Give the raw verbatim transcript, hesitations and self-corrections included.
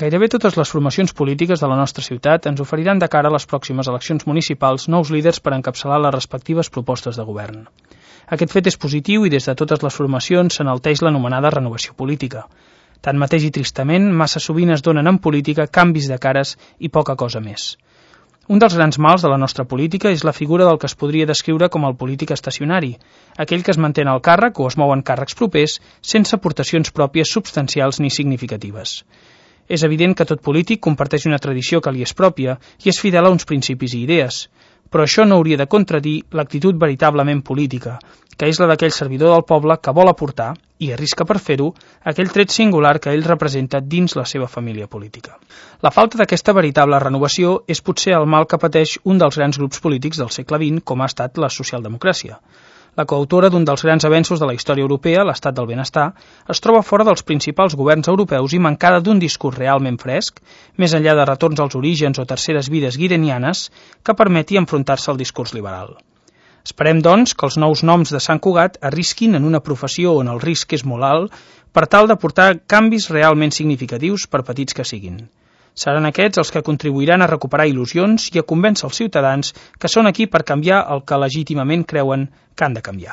Gairebé totes les formacions polítiques de la nostra ciutat ens oferiran de cara a les pròximes eleccions municipals nous líders per encapçalar les respectives propostes de govern. Aquest fet és positiu i des de totes les formacions s'enalteix l'anomenada renovació política. Tanmateix i tristament, massa sovint es donen en política canvis de cares i poca cosa més. Un dels grans mals de la nostra política és la figura del que es podria descriure com el polític estacionari, aquell que es manté en el càrrec o es mou en càrrecs propers sense aportacions pròpies substancials ni significatives. És evident que tot polític comparteix una tradició que li és pròpia i és fidel a uns principis i idees, però això no hauria de contradir l'actitud veritablement política, que és la d'aquell servidor del poble que vol aportar, i arrisca per fer-ho, aquell tret singular que ell representa dins la seva família política. La falta d'aquesta veritable renovació és potser el mal que pateix un dels grans grups polítics del segle vint, com ha estat la socialdemocràcia. La coautora d'un dels grans avenços de la història europea, l'estat del benestar, es troba fora dels principals governs europeus i mancada d'un discurs realment fresc, més enllà de retorns als orígens o terceres vides guirenianes, que permeti enfrontar-se al discurs liberal. Esperem, doncs, que els nous noms de Sant Cugat arrisquin en una professió on el risc és molt alt per tal de portar canvis realment significatius per petits que siguin. Seran aquests els que contribuiran a recuperar il·lusions i a convèncer els ciutadans que són aquí per canviar el que legítimament creuen que han de canviar.